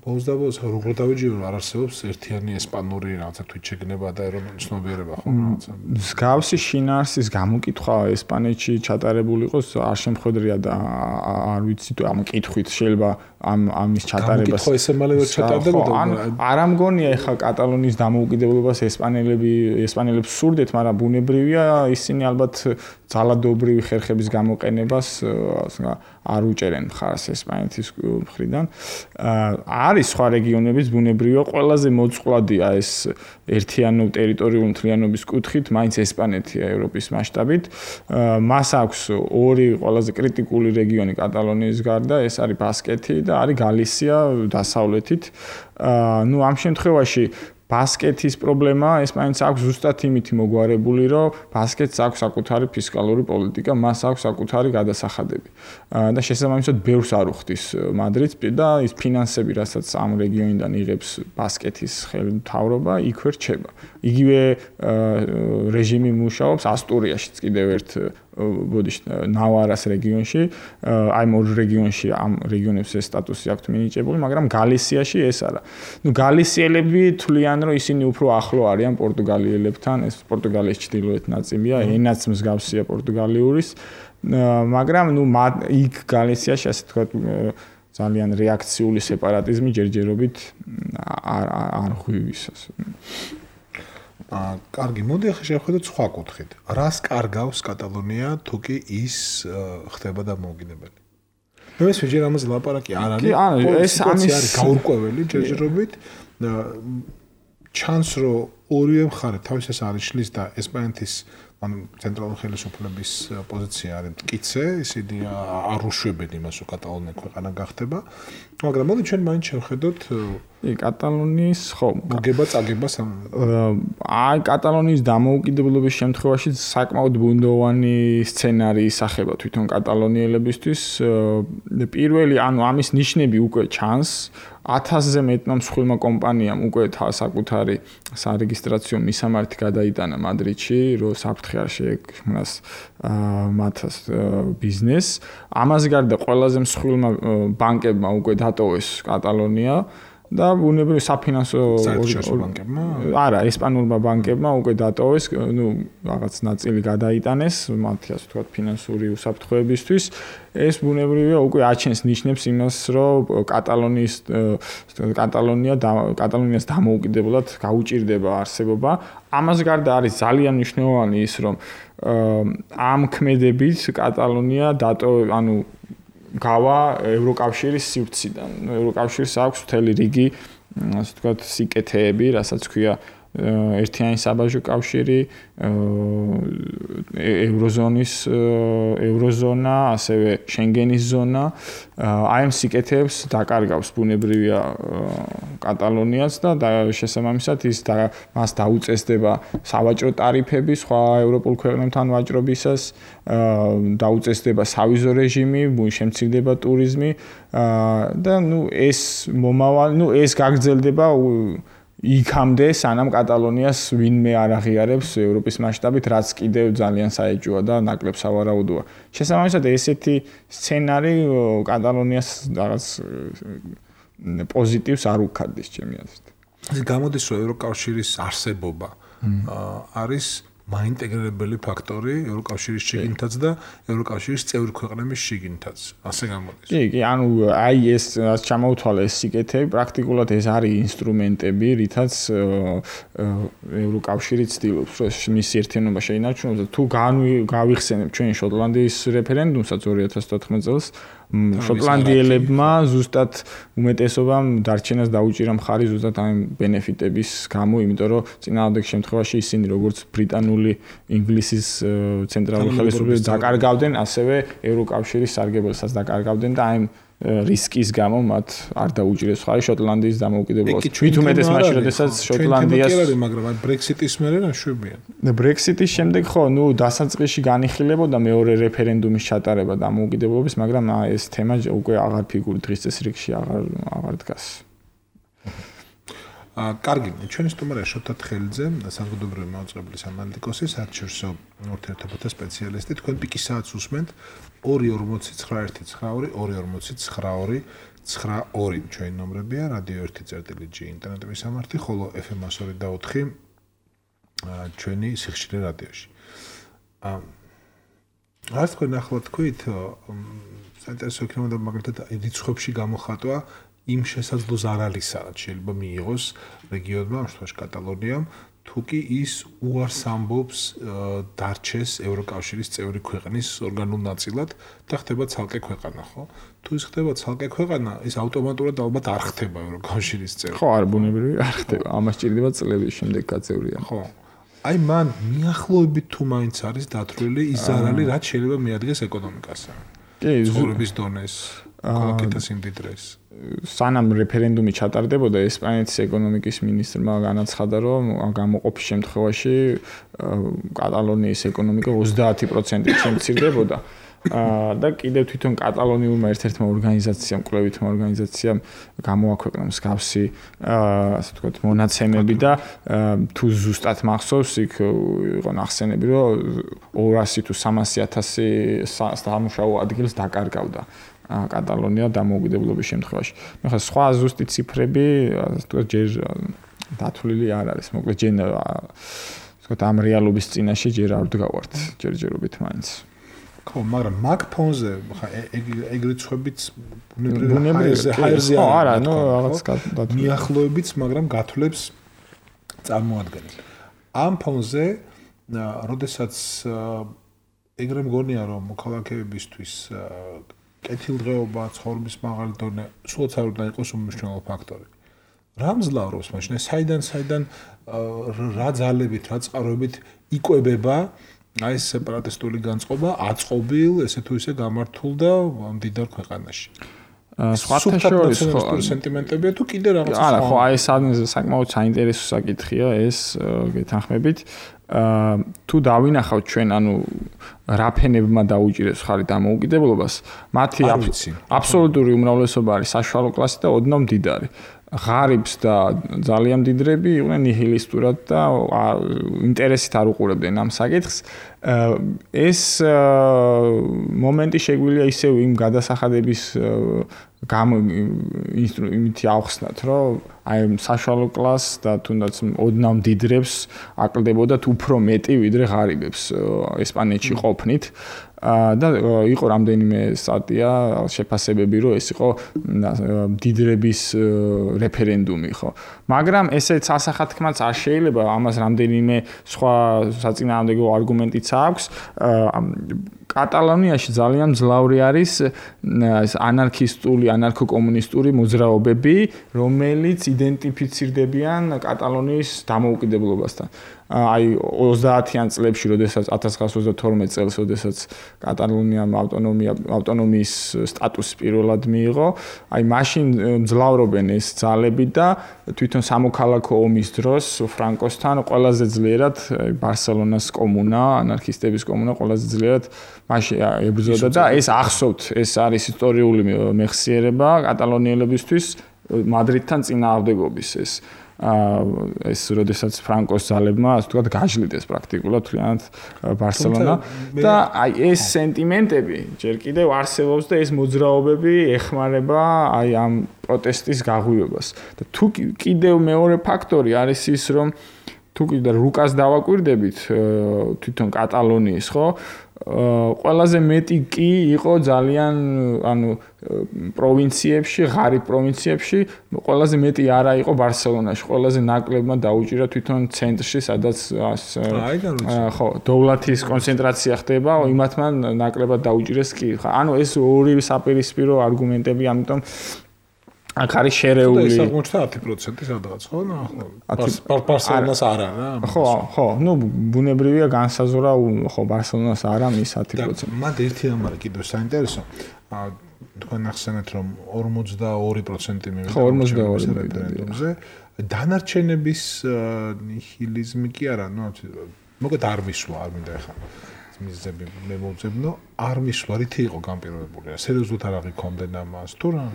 ბოლოს როგორ დავიჯერო არ არსებობს ერთიანი ესპანური რაღაცა თვით შეგნება და ეროვნული ცნობიერება ხო რაღაცა მსგავსი შინაარსის გამოკითხვა ესპანეთში ჩატარებული იყოს არ შემხედრია და არ ვიცი თუ ამ კითხვით შეიძლება ამის ჩატარებას გამოკითხვა ესე მალე ვერ ჩატარდებოდა არ ამგონია ეხა კატალონიის დამოუკიდებლობას ესპანელებს სურდეთ მაგრამ ბუნებრივია ისინი ალბათ ძალადობრივი ხერხების გამოყენებას არ უჭერენ მხარს ესპანეთის მხრიდან არის სხვა რეგიონების ბუნებრივია ყველაზე მოწყვლადია ეს ერთიანობ ტერიტორიული მთლიანობის კუთხით მაინც ესპანეთია ევროპის მასშტაბით მას აქვს ორი ყველაზე კრიტიკული რეგიონი კატალონიის გარდა ეს არის ბასკეთი და არის გალისია დასავლეთით ამ შემთხვევაში ბასკეთის პრობლემა ესპანეთს აქვს ზუსტად იმით მოგვარებული, რომ ბასკეთს აქვს საკუთარი ფისკალური პოლიტიკა, მას აქვს საკუთარი გადასახადები. და შესაბამისად ბევრს არ უხდის მადრიდს და ის ფინანსები, რასაც ამ რეგიონიდან იღებს ბასკეთის ხელმძღვანელობა, იქ ვერ რჩება. იგივე რეჟიმი მუშაობს ასტურიაშიც კიდევ ერთ ნავარას რეგიონში, აი ორ რეგიონში ამ რეგიონებს ეს სტატუსი აქვს მინიჭებული, მაგრამ გალისიაში ეს არა. გალისიელები თვლიან, რომ ისინი უფრო ახლო არიან პორტუგალიელებთან, ეს პორტუგალიის ჩრდილოეთ ნაწილია, ენაც მსგავსია პორტუგალიური, მაგრამ იქ გალისიაში ასე თქვა ძალიან რეაქციული სეპარატიზმი ჯერჯერობით არ ღვივისას. კარგი, მოდი ახლა შევხედოთ სხვა კუთხით. რას კარგავს კატალონია თუ კი ის ხდება დამოუკიდებელი? მე ვეძებ ამაზე ლაპარაკი არ არის. ეს არის გაურკვეველი ჯერჯერობით. ჩანს რომ ორივე მხარე თავისას არის შლის და ესპანეთის ანუ ცენტრალური ხელისუფლების პოზიცია არის მტკიცე, ისინი არ უშვებენ იმას, რომ კატალონია ქვეყანა გახდება. მაგრამ მოდი ჩვენ მაინც შევხედოთ კატალონიის ხო მოგება-წაგება აი კატალონიის დამოუკიდებლობის შემთხვევაში საკმაოდ ბუნდოვანი სცენარი ისახება თვითონ კატალონიელებისთვის. პირველი ანუ ამის ნიშნები უკვე ჩანს. 1000-ზე მეტმა მსხვილმა კომპანიამ უკვე საკუთარი სარეგისტრაციო მისამართი გადაიტანა მადრიდში, რომ საფრთხე არ შეექმნას მათს ბიზნესს. ამას გარდა ყველაზე მსხვილმა ბანკებმა უკვე დატოვეს კატალონია და ბუნებრივი საფინანსო ბანკებმა არა, ესპანურმა ბანკებმა უკვე დატოვეს, ნუ რაღაც ნაწილი გადაიტანეს მათი ასე ვთქვათ ფინანსური უსაფრთხოებისთვის. ეს ბუნებრივია უკვე აჩენს ნიშნებს იმას, რომ კატალონიას დამოუკიდებლად გაუჭირდება არსებობა. ამას გარდა არის ძალიან მნიშვნელოვანი ის, რომ ამ ქმედებით კატალონია ანუ გავა ევროკავშირის სივრციდან. ევროკავშირს აქვს მთელი რიგი, ასე ვთქვათ, სიკეთეები, რასაც ქვია ერთიანი საბაჟო კავშირი, ევროზონა, ასევე შენგენის ზონა. აი ამ სიკეთეებს დაკარგავს ბუნებრივია კატალონიას და შესაბამისად მას დაუწესდება სავაჭრო ტარიფები სხვა ევროპულ ქვეყნებთან ვაჭრობისას, დაუწესდება სავიზო რეჟიმი, შემცირდება ტურიზმი და ეს გაგრძელდება იქამდე სანამ კატალონიას ვინმე არ აღიარებს ევროპის მასშტაბით, რაც კიდევ ძალიან საეჭვოა და ნაკლებ სავარაუდოა. შესაბამისად ესეთი სცენარი კატალონიას რაღაც პოზიტივს არ უქადდეს ჩემი აზრით. გამოდის რომ ევროკავშირის არსებობა არის მაინტეგრირებელი ფაქტორი ევროკავშირის შიგნითაც და ევროკავშირის წევრი ქვეყნების შიგნითაც. ასე გამოდის. კი, ანუ აი ეს ჩამოუთვალე ეს სიკეთეები, პრაქტიკულად ეს არის ინსტრუმენტები, რითაც ევროკავშირი ცდილობს, რომ მის ერთიანობა შეინარჩუნოს და თუ გავიხსენებ ჩვენ შოტლანდიის რეფერენდუმსაც 2014 წელს შოტლანდიელებმა ზუსტად უმეტესობამ დარჩენას დაუჭირა მხარი ზუსტად ამ ბენეფიტების გამო, იმიტომ რომ წინააღმდეგ შემთხვევაში ისინი როგორც ბრიტანული ინგლისის ცენტრალური ხელისუფლების დაკარგავდნენ, ასევე ევროკავშირის სარგებელსაც დაკარგავდნენ და აი რისკის გამო მათ არ დაუჭირეს ხარი შოტლანდიის დამოუკიდებლობას. თვით უმეტეს მაშინ, როდესაც შოტლანდიას მაგრამ აი ბრექსიტის მერე ნაშვებია. ბრექსიტის შემდეგ ხო, დასაწყისში განიხილებოდა მეორე რეფერენდუმის ჩატარება დამოუკიდებლობის, მაგრამ ეს თემა უკვე აღარ ფიგურით დღის წესრიგში აღარ დგას. კარგი, ჩვენი სტუმარია შოთა თხელიძე, საზოგადოებრივი მაუწყებლის ანალიტიკოსი, საერთაშორისო ურთიერთობათა სპეციალისტი. თქვენ პიკისააც უსმენთ 2409292 ჩვენი ნომრებია, რადიო 1.g ინტერნეტების სამართი, ხოლო FM 102.4 ჩვენი სიხშირე რადიოში. რაც თქვენ ახლა თქვით, საინტერესო იქნებოდა მაგალითად რიცხვებში გამოხატვა იმ შესაძლო ზარალის რაც შეიძლება მიიღოს რეგიონმა, ამ შემთხვევაში კატალონიამ, თუ კი ის უარს ამბობს დარჩეს ევროკავშირის წევრი ქვეყნის ორგანულ ნაწილად და ხდება ცალკე ქვეყანა, ხო? თუ ის ხდება ცალკე ქვეყანა, ის ავტომატურად ალბათ არ ხდება ევროკავშირის წევრი. ხო, არ ბუნებრივი არ ხდება. ამას ჭირდება წლების შემდეგ გაწევრია. ხო. აი მან მიახლოებით თუ მაინც არის დათვლილი ის ზარალი, რაც შეიძლება მიადგეს ეკონომიკასა. კი, ცხოვრების დონეს, კოლექტის იმდიდრეს. სანამ რეფერენდუმი ჩატარდებოდა, ესპანეთის ეკონომიკის მინისტრმა განაცხადა, რომ გამოყოფის შემთხვევაში კატალონიის ეკონომიკა 30%-ით შემცირდებოდა. და კიდევ თვითონ კატალონიურმა ერთ-ერთმა ორგანიზაციამ, კვლევითმა ორგანიზაციამ გამოაქვეყნა მსგავსი, ასე ვთქვათ, მონაცემები და თუ ზუსტად მახსოვს, იქ იყო ნახსენები, რომ 200 თუ 300,000 სამუშაო ადგილს დაკარგავდა კატალონია დამოუკიდებლობის შემთხვევაში. ახლა სხვა ზუსტი ციფრები, ასე ვთქვათ, ჯერ დათვლილი არ არის. მოკლედ ჯერ ვთქვათ, ამ რეალობის წინაშე ჯერ არ ვდგავართ ჯერჯერობით მაინც. ხო, მაგრამ მაგ ფონზე ხა ეგრეთ ხვებით ბუნებრივი ჰაერზე არა, ნუ რაღაც მიახლოებიც, მაგრამ გათვლებს წარმოადგენს. ამ ფონზე, როდესაც ეგრე მგონია, რომ მოქალაქეებისთვის კეთილდღეობა, ცხოვრების მაღალი დონე სულაც არ უნდა იყოს უმნიშვნელო ფაქტორი. რა მძლავრობს მაშინ? საიდან რა ძალებით, რა წყაროებით იკვებება აი ეს სეპარატისტული განწყობა აწყობილ, ესე თუ ისე გამართულ და მდიდარ ქვეყანაში. სხვათა შორის სენტიმენტებია თუ კიდე რაღაც არა, ხო, აი ეს საკმაოდ საინტერესო საკითხია ეს გეთანხმებით. თუ დავინახავთ ჩვენ, ანუ რა ფენებმა დაუჭირეს ხარი დამოუკიდებლობას, მათი აბსოლუტური უმრავლესობა არის საშუალო კლასი და ოდნავ მდიდარი. ღარიბს და ძალიან მდიდრები იყვნენ ნიჰილისტურად და ინტერესით არ უყურებდნენ ამ საკითხს. ეს მომენტი შეგვიძლია ისევ იმ გადასახადების იმითი ავხსნათ, რომ აი საშუალო კლასს და თუნდაც ოდნავ მდიდრებს აკლდებოდათ უფრო მეტი ვიდრე ღარიბებს ესპანეთში ყოფნით. და იყო რამდენიმე სტატია შეფასებები, რომ ეს იყო მდიდრების რეფერენდუმი, ხო. მაგრამ ესეც ასახათქმაც არ შეიძლება, ამას რამდენიმე სხვა საწინააღმდეგო არგუმენტიც აქვს. კატალონიაში ძალიან მძლავრი არის ანარქისტული, ანარქო-კომუნისტური მოძრაობები, რომელიც იდენტიფიცირდებიან კატალონიის დამოუკიდებლობასთან. აი 30-იან წლებში, როდესაც 1922 წელს, როდესაც კატალონიამ ავტონომიის სტატუსი პირველად მიიღო, აი მაშინ მძლავრობენ ეს ძალები და თვითონ სამოქალაქო ომის დროს ფრანკოსთან ყველაზე ძლიერად ბარსელონას კომუნა, ანარქისტების კომუნა ყველაზე ძლიერად მაშინ ებრძოდა და ეს ახსოვთ, ეს არის ისტორიული მეხსიერება კატალონიელებისთვის მადრიდთან წინააღმდეგობის ეს როდესაც ფრანკოს ძალებმა ასე ვთქვათ გაჟლიდეს პრაქტიკულად თლიანად ბარსელონა და აი ეს სენტიმენტები ჯერ კიდევ არსებობს და ეს მოძრაობები ეხმარება აი ამ პროტესტის გაღვივებას და თუ კიდევ მეორე ფაქტორი არის ის რომ თუ კიდე რუკას დავაკვირდებით თვითონ კატალონიის ხო ყველაზე მეტი კი იყო ძალიან ანუ პროვინციებში, ღარიბ პროვინციებში, ყველაზე მეტი არა იყო ბარსელონაში, ყველაზე ნაკლებმა დაუჭირა თვითონ ცენტრში, სადაც ხო, დოვლათის კონცენტრაცია ხდება, იმათმა ნაკლებად დაუჭირეს კი. ანუ ეს ორი საპირისპირო არგუმენტები, ამიტომ აქ არის შერეული. ეს აღმოჩნდა 10% სადღაც, ხო? ბარსელონას არა, რა. ხო, ნუ ბუნებრივია განსაზღვრა, ხო, ბარსელონას არა მის 10%. მათ ერთი ამბარი კიდევ საინტერესო. თქვენ ახსენეთ, რომ 42% მივიდა. ხო, 42%-ზე. დანარჩენების ნიჰილიზმი კი არა, ნუ მოგეთ არ მისვა, არ მინდა ახლა მიზები მე მოვძებნო, არ მისვა, რითი იყო განპირობებული? სერიოზულად არ აღიქონდნენ ამას თუ რა?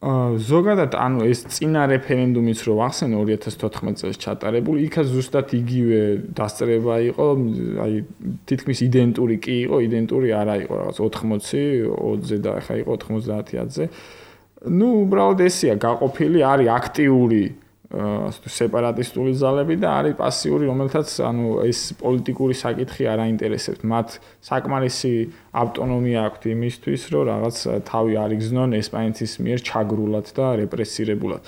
ზოგადად ანუ ეს წინა რეფერენდუმიც რო ახსენე 2014 წელს ჩატარებული, იქაც ზუსტად იგივე დასწრება იყო, აი თითქმის იდენტური კი იყო, იდენტური არა იყო, რაღაც 80, 20-ზე და ახლა იყო 90-ზე. ნუ უბრალოდ ესია გაყოფილი, არის აქტიური სეპარატისტული ძალები და არის პასიური, რომელთაც ანუ ეს პოლიტიკური საკითხი არ აინტერესებთ. მათ საკმარისი ავტონომია აქვთ იმისთვის, რომ რაღაც თავი არიგზნონ ესპანეთის მიერ ჩაგრულად და რეპრესირებულად.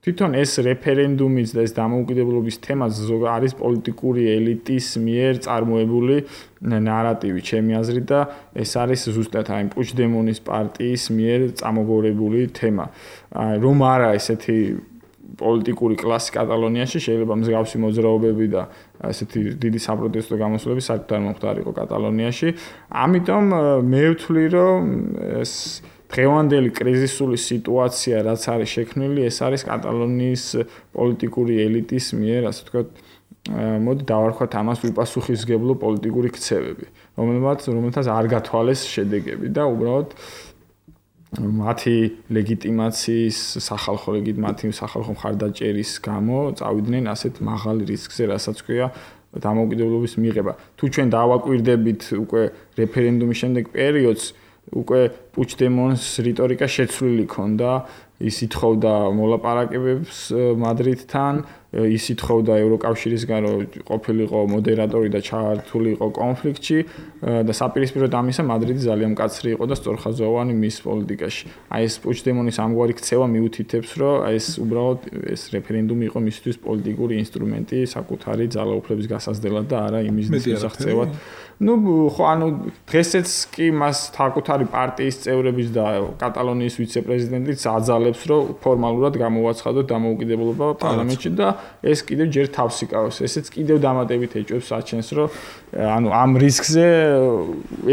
თვითონ ეს რეფერენდუმის და ეს დამოუკიდებლობის თემაც არის პოლიტიკური ელიტის მიერ წარმოებული ნარატივი, ჩემი აზრით და ეს არის ზუსტად აი პუჩდემონის პარტიის მიერ წამოგორებული თემა. რომ არა ესეთი პოლიტიკური კლასი კატალონიაში შეიძლება მსგავსი მოძრაობები და ესეთი დიდი საპროტესტო გამოსვლები საერთოდ არ მომხდარიყო კატალონიაში. ამიტომ მე ვთვლი, რომ ეს დღევანდელი კრიზისული სიტუაცია, რაც არის შექმნილი, ეს არის კატალონიის პოლიტიკური ელიტის მიერ, ასე ვთქვათ, მოდი დავარქვათ ამას უპასუხისმგებლო პოლიტიკური ქცევები, რომელთაც არ გათვალეს შედეგები და უბრალოდ მათი ლეგიტიმაციის მათი სახალხო მხარდაჭერის გამო წავიდნენ ასეთ მაღალ რისკზე, რასაც ქვია დამოუკიდებლობის მიღება. თუ ჩვენ დავაკვირდებით უკვე რეფერენდუმის შემდეგ პერიოდს, უკვე პუჩდემონის რიტორიკა შეცვლილი ქონდა, ის ითხოვდა მოლაპარაკებებს მადრიდთან ის ითხოვდა ევროკავშირისგან რომ ყოფილიყო მოდერატორი და ჩართულიყო კონფლიქტში და საპირისპიროდ ამისა მადრიდი ძალიან მკაცრი იყო და სწორხაზოვანი მის პოლიტიკაში. აი ეს პუჩდემონის ამგვარი ქცევა მიუთითებს რომ აი ეს უბრალოდ ეს რეფერენდუმი იყო მისთვის პოლიტიკური ინსტრუმენტი საკუთარი ძალაუფლების გასაზრდელად და არა იმის მისაღწევად. Ну, ხო, ანუ დღესაც კი მას საკუთარი პარტიის წევრების და კატალონიის ვიცე-პრეზიდენტიც აძალებს, რომ ფორმალურად გამოვაცხადოთ დამოუკიდებლობა პარლამენტში და ეს კიდევ ჯერ თავს იკავებს. ესეც კიდევ დამატებით ეჭვებს აჩენს, რომ ანუ ამ რისკზე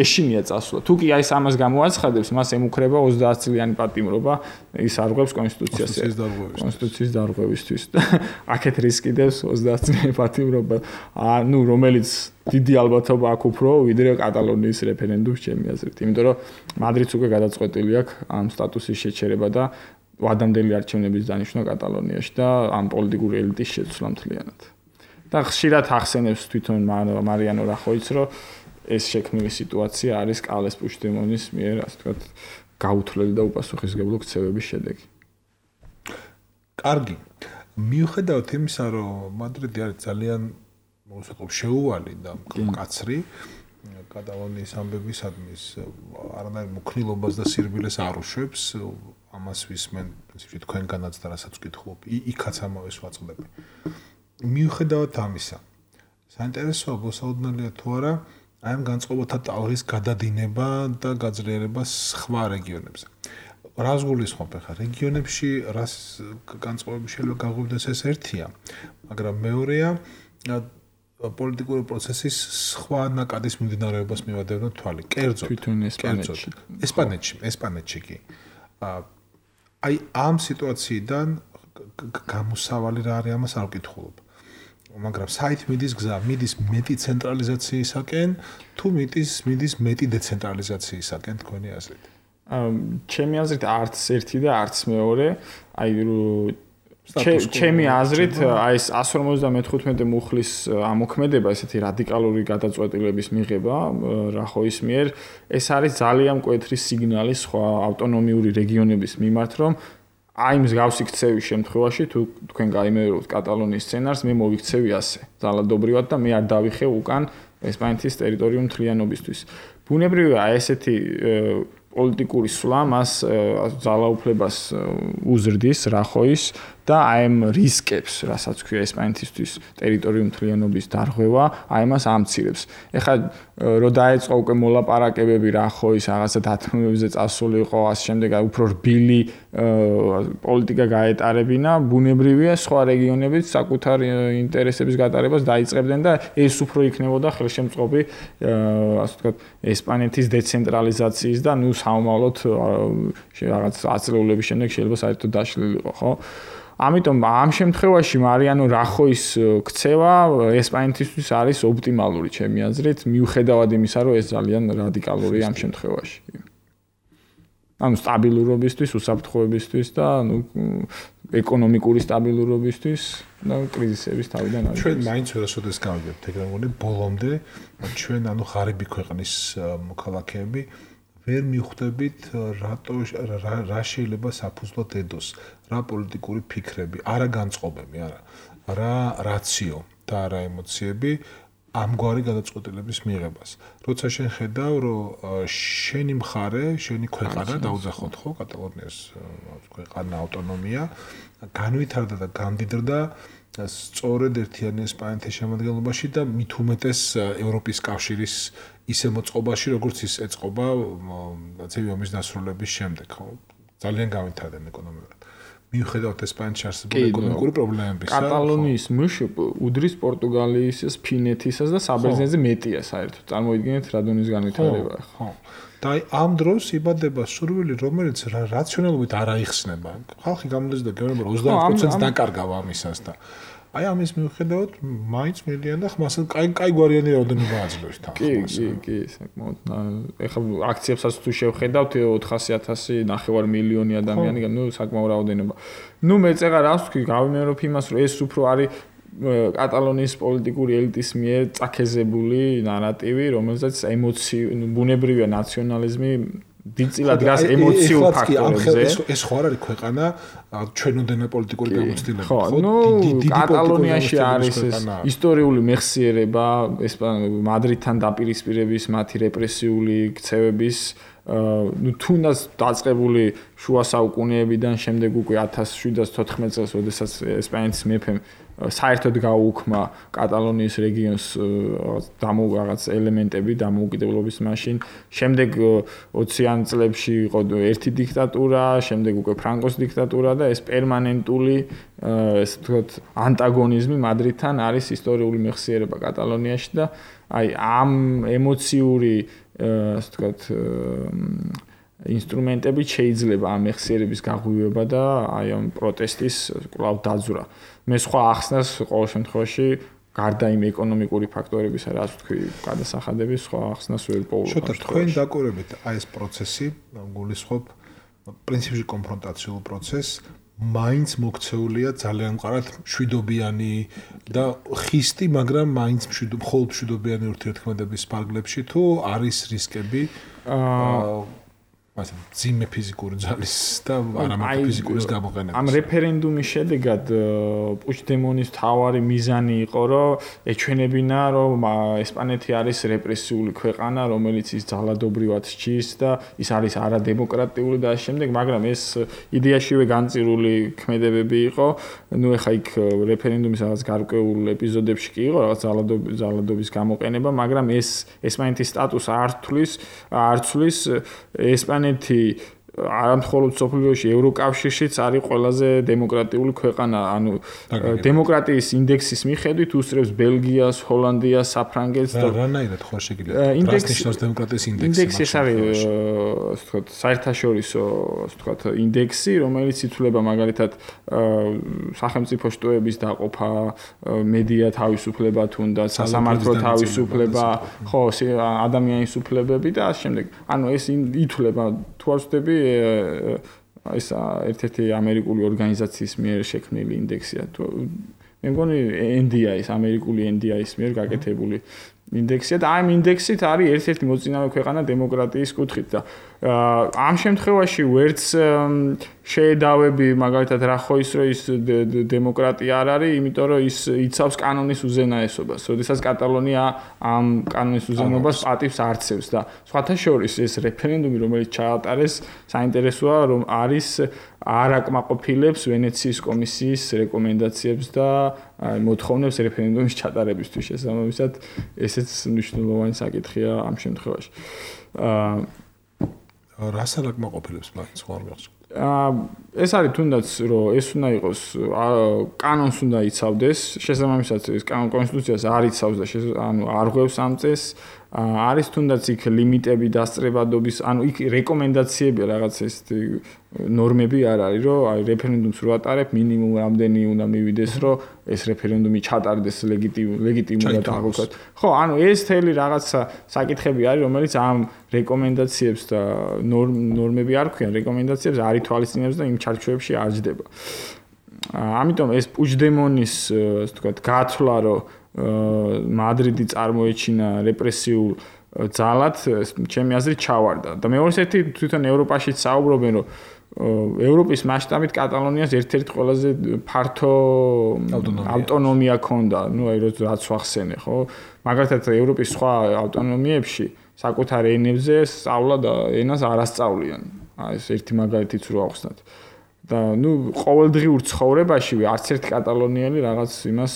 ეშინია წასვლა. თუ კი აი ამას გამოაცხადებს, მას ემუქრება 30 წლიანი პატიმრობა, ის არღვევს კონსტიტუციის დარღვევისთვის. აქეთ რისკი დევს 30 წლიანი პატიმრობა, ანუ რომელიც დიდი ალბათობა აქვს უფრო ვიდრე კატალონიის რეფერენდუმს ჩემი აზრით. იმიტომ რომ მადრიდს უკვე გადაწყვეტილი აქვს ამ სტატუსის შეჩერება და ვადამდელი არჩევნების დანიშვნა კატალონიაში და ამ პოლიტიკური ელიტის შეცვლა მთლიანად. და ხშირად ახსენებს თვითონ მარიანო რახოიც, რომ ეს შექმნილი სიტუაცია არის კარლეს პუჩდემონის მიერ, ასე ვთქვათ, გაუთვლელი და უპასუხისმგებლო ქცევების შედეგი. კარგი. მიუხედავად იმისა, რომ მადრიდი არის ძალიან შეუვალი და მკაცრი კატალონიის ამბებისადმის არანაირ მოქნილობას და სირბილეს არ უშვებს, ამას ვისმენ პრინციპში თქვენგანაც და რასაც ვკითხულობ, იქაც ამავეს ვაწყდები. მიუხედავად ამისა, საინტერესოა მოსაოდნელია თუ არა აი ამ განწყობათა ტალღის გადადინება და გაძლიერება სხვა რეგიონებზე. რას გულისხმობ ახლა რეგიონებში რას განწყობები შეიძლება გაღვივდეს ეს ერთია, მაგრამ მეორეა პოლიტიკური პროცესის სხვა ნაკადის მიმდინარეობას მივადევნოთ თვალი. კერძოდ ესპანეთში კი. აი ამ სიტუაციიდან გამოსავალი რა არის ამას არ ვკითხულობ. მაგრამ საით მიდის გზა? მიდის მეტი ცენტრალიზაციისაკენ თუ მიდის მეტი დეცენტრალიზაციისაკენ თქვენი აზრით? ჩემი აზრით არც ერთი და არც მეორე. აი ჩემი აზრით აი ეს 155 მუხლის ამოქმედება, ესეთი რადიკალური გადაწყვეტილების მიღება რახოის მიერ, ეს არის ძალიან მკვეთრი სიგნალი სხვა ავტონომიური რეგიონების მიმართ, რომ აი მსგავსი ქცევის შემთხვევაში თუ თქვენ გაიმეორებთ კატალონიის სცენარს, მე მოვიქცევი ასე, ძალადობრივად და მე არ დავიხევ უკან ესპანეთის ტერიტორიულ მთლიანობისთვის. ბუნებრივია ესეთი პოლიტიკური სვლა მას ძალაუფლებას უზრდის რახოის და აი ამ რისკებს, რასაც ქვია ესპანეთისთვის ტერიტორიულ მთლიანობის დარღვევა, აი მას ამცირებს. ეხლა რო დაეწყო უკვე მოლაპარაკებები რახოის რაღაცა დათმობებზე წასულიყო, ასე შემდეგ, აი უფრო რბილი პოლიტიკა გაეტარებინა, ბუნებრივია სხვა რეგიონებიც საკუთარ ინტერესების გატარებას დაიწყებდნენ და ეს უფრო იქნებოდა ხელშემწყობი, ასე ვთქვათ, ესპანეთის დეცენტრალიზაციის და ნუ საომავლოდ რაღაც აწლეულების შემდეგ შეიძლება საერთოდ დაშლილიყო, ხო? ამიტომ ამ შემთხვევაში მარიანო რახოის ქცევა ესპანეთისთვის არის ოპტიმალური ჩემი აზრით, მიუხედავად იმისა, რომ ეს ძალიან რადიკალურია ამ შემთხვევაში. ანუ სტაბილურობისთვის, უსაფრთხოებისთვის და ნუ ეკონომიკური სტაბილურობისთვის და კრიზისების თავიდან არის. ჩვენ მაინც ვერასოდეს გავიგებთ, ეგრე მგონი ბოლომდე ჩვენ ანუ ღარიბი ქვეყნის მოქალაქეები ვერ მიხვდებით რა შეიძლება საფუძვლად ედოს, რა პოლიტიკური ფიქრები, არა განწყობები, არა რაციო და არა ემოციები ამგვარი გადაწყვეტილების მიღებას. როცა შენ ხედავ, რომ შენი მხარე, შენი ქვეყანა დაუძახოთ ხო, კატალონიას ქვეყანა ავტონომია, განვითარდა და გამდიდრდა სწორედ ერთიანი ესპანეთის შემადგენლობაში და მით უმეტეს ევროპის კავშირის ისე მოწყობაში, როგორც ის ეწყობა ცივი ომის დასრულების შემდეგ, ხო? ძალიან განვითარდნენ ეკონომიკურად. მიუხედავად ესპანეთში არსებული ეკონომიკური პრობლემებისა, კატალონიის მშპ უდრის პორტუგალიისას, ფინეთისას და საბერძნეთზე მეტია საერთოდ. წარმოიდგინეთ რა დონის განვითარება, ხო? და ამ დროს იბადება სურვილი, რომელიც რაციონალობით არ აიხსნება. ხალხი გამოდის და გეუბნება 20%-ს დაკარგავ ამისას და აი ამის მიუხედავად მაინც მილიან და ხმასად კაი გვარიანი რაოდენობა აძლევს თან. კი, საკმაოდ. ეხლა აქციებსაც თუ შევხედავთ 400,000 ნახევარ მილიონი ადამიანი, ნუ საკმაო რაოდენობა. ნუ მეწეღა რას ვთქვი, გავიმეორებ იმას, რომ ეს უფრო არის კატალონიის პოლიტიკური ელიტის მიერ წაქეზებული ნარატივი, რომელზეც ემოცი, ბუნებრივია ნაციონალიზმი დიდწილად დგას ემოციურ ფაქტორებზე. ეს ხო არ არის ქვეყანა ჩვენოდენა პოლიტიკური გამოცდილება. ხო, კატალონიაში არის ისტორიული მეხსიერება, მადრიდთან დაპირისპირების, მათი რეპრესიული ქცევების თუნდაც დაწყებული შუა საუკუნეებიდან შემდეგ უკვე 1714 წელს, როდესაც ესპანეთის მეფემ საერთოდ გაუუქმა კატალონიის რეგიონს რაღაც ელემენტები დამოუკიდებლობის მაშინ. შემდეგ 20-იან წლებში იყო ერთი დიქტატურა, შემდეგ უკვე ფრანკოს დიქტატურა და ეს პერმანენტული ესე ვთქვათ ანტაგონიზმი მადრიდთან არის ისტორიული მეხსიერება კატალონიაში და აი ამ ემოციური ასე ვთქვათ ინსტრუმენტებით შეიძლება ამ მეხსიერების გაღვივება და აი ამ პროტესტის კვლავ დაძვრა. მე სხვა ახსნას ყოველ შემთხვევაში გარდა იმ ეკონომიკური ფაქტორებისა, რაც თქვი, გადასახადების სხვა ახსნას ვერ პოულობ. შოთა, თქვენ დაკურებით აი ეს პროცესი, გულისხმობ პრინციპში კონფრონტაციულ პროცესს, მაინც მოქცეულია ძალიან მყარად მშვიდობიანი და ხისტი, მაგრამ მაინც მხოლოდ მშვიდობიანი ურთიერთქმედების ფარგლებში თუ არის რისკები ასე ძიმე ფიზიკური ძალის და არამარტო ფიზიკურის გამოყენებას. ამ რეფერენდუმის შედეგად პუჩდემონის თავარი მიზანი იყო, რომ ეჩვენებინა, რომ ესპანეთი არის რეპრესიული ქვეყანა, რომელიც ის ძალადობრივად სჭის და ის არის არადემოკრატიული და ამ შემდეგ, მაგრამ ეს იდეაშივე განწირული ქმედებები იყო. ნუ ეხა იქ რეფერენდუმის რაღაც გარკვეულ ეპიზოდებში კი იყო რაღაც ძალადობის გამოყენება, მაგრამ ეს ესპანეთის სტატუსს არ ცვლის ესპანეთი არამხოლოდ სოფლიოში ევროკავშირშიც არის ყველაზე დემოკრატიული ქვეყანა, ანუ დემოკრატიის ინდექსის მიხედვით უსწრებს ბელგიას, ჰოლანდიას, საფრანგეთს და რანაირად ხო შეიძლება ნიშნავს დემოკრატიის ინდექსი. ინდექსი ეს არის ასე ვთქვათ საერთაშორისო ასე ვთქვათ ინდექსი, რომელიც ითვლება მაგალითად სახელმწიფო შტოების დაყოფა, მედია თავისუფლება თუნდაც, სასამართლო თავისუფლება, ხო, ადამიანის უფლებები და ამ შემდეგ. ანუ ეს ითვლება თუ არ ვწდები ეს ერთ-ერთი ამერიკული ორგანიზაციის მიერ შექმნილი ინდექსია. მე მგონი NDI-ის, ამერიკული NDI-ის მიერ გაკეთებული ინდექსია და ამ ინდექსით არის ერთ-ერთი მოწინავე ქვეყანა დემოკრატიის კუთხით და ამ შემთხვევაში ვერც შეედავები მაგალითად რა ხო ის რომ ის დემოკრატია არ არის, იმიტომ რომ ის იცავს კანონის უზენაესობას. როდესაც კატალონია ამ კანონის უზენაებას პატივს არცევს და სხვათა შორის ეს რეფერენდუმი, რომელიც ჩაატარეს, საინტერესოა, რომ არის არ აკმაყოფილებს ვენეციის კომისიის რეკომენდაციებს და მოთხოვნებს რეფერენდუმის ჩატარებისთვის. შესაბამისად, ესეც მნიშვნელოვანი საკითხია ამ შემთხვევაში. რას არ აკმაყოფილებს მაგ სხვა მეხსოვს? ეს არის თუნდაც რომ ეს უნდა იყოს კანონს უნდა იცავდეს, შესაბამისად ეს კონსტიტუციას არ იცავს და ანუ არ ღვევს ამ წესს. არის თუნდაც იქ ლიმიტები დასწრებადობის, ანუ იქ რეკომენდაციები რაღაც ეს ნორმები არ არის, რომ აი რეფერენდუმს რო ატარებ, მინიმუმ რამდენი უნდა მივიდეს, რომ ეს რეფერენდუმი ჩატარდეს ლეგიტიმურად აღკვეთოთ. ხო, ანუ ეს თელი რაღაცა საკითხები არის, რომელიც ამ რეკომენდაციებს და ნორმები არ ქვიან, რეკომენდაციებს არ ითვალისწინებს და იმ ჩარჩოებში არ ჯდება. ამიტომ ეს პუჩდემონის, ასე ვთქვათ, გაცვლა, რომ მადრიდი წარმოეჩინა რეპრესიულ ძალად, ჩემი აზრით ჩავარდა. და მეორე ერთი თვითონ ევროპაშიც საუბრობენ, რომ ევროპის მასშტაბით კატალონიას ერთ-ერთი ყველაზე ფართო ავტონომია ჰქონდა, ну აი რაც ვახსენე, ხო? მაგალითად ევროპის სხვა ავტონომიებში საკუთარ ენებზე სწავლა და ენას არ ასწავლიან. აი ეს ერთი მაგალითიც რო ახსნათ. და ну ყოველდღიურ ცხოვრებაში არც ერთ კატალონიელი რაღაც იმას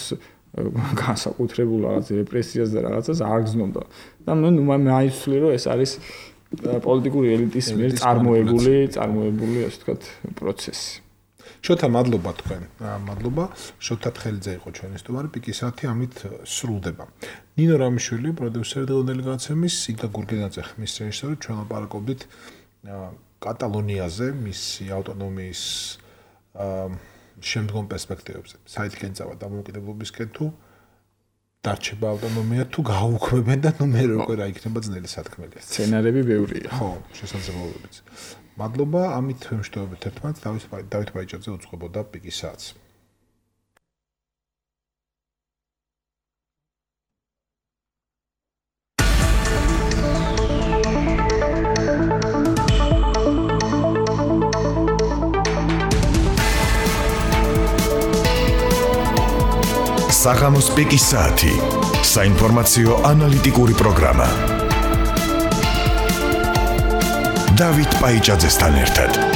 განსაკუთრებულ რაღაც რეპრესიას და რაღაცას არ გზნობდა. და ну მაიცვლი რომ ეს არის პოლიტიკური ელიტის მიერ წარმოებული, ასე ვთქვათ, პროცესი. შოთა, მადლობა თქვენ. მადლობა. შოთა თხელიძე იყო ჩვენი სტუმარი, პიკისათი ამით სრულდება. ნინო რამიშვილი, პროდიუსერი დელეგაციების, სიგა გურგენაძე ხმის რეჟისორი, ჩვენ ლაპარაკობდით კატალონიაზე, მისი ავტონომიის შემდგომ პერსპექტივებზე. საითკენ წავა დამოუკიდებლობისკენ თუ დარჩება ავტონომია თუ გაუქმებენ და ნუ მე როგორ რა იქნება ძნელი სათქმელია. სცენარები ბევრია. ხო, შესაძლებლობებიც. მადლობა, ამით ვიმშვიდობებით ერთმანეთს. დავით ბაიჭაძე უძღვებოდა პიკის საათს. საღამოს პიკის საათი. საინფორმაციო ანალიტიკური პროგრამა. დავით პაიჭაძესთან ერთად.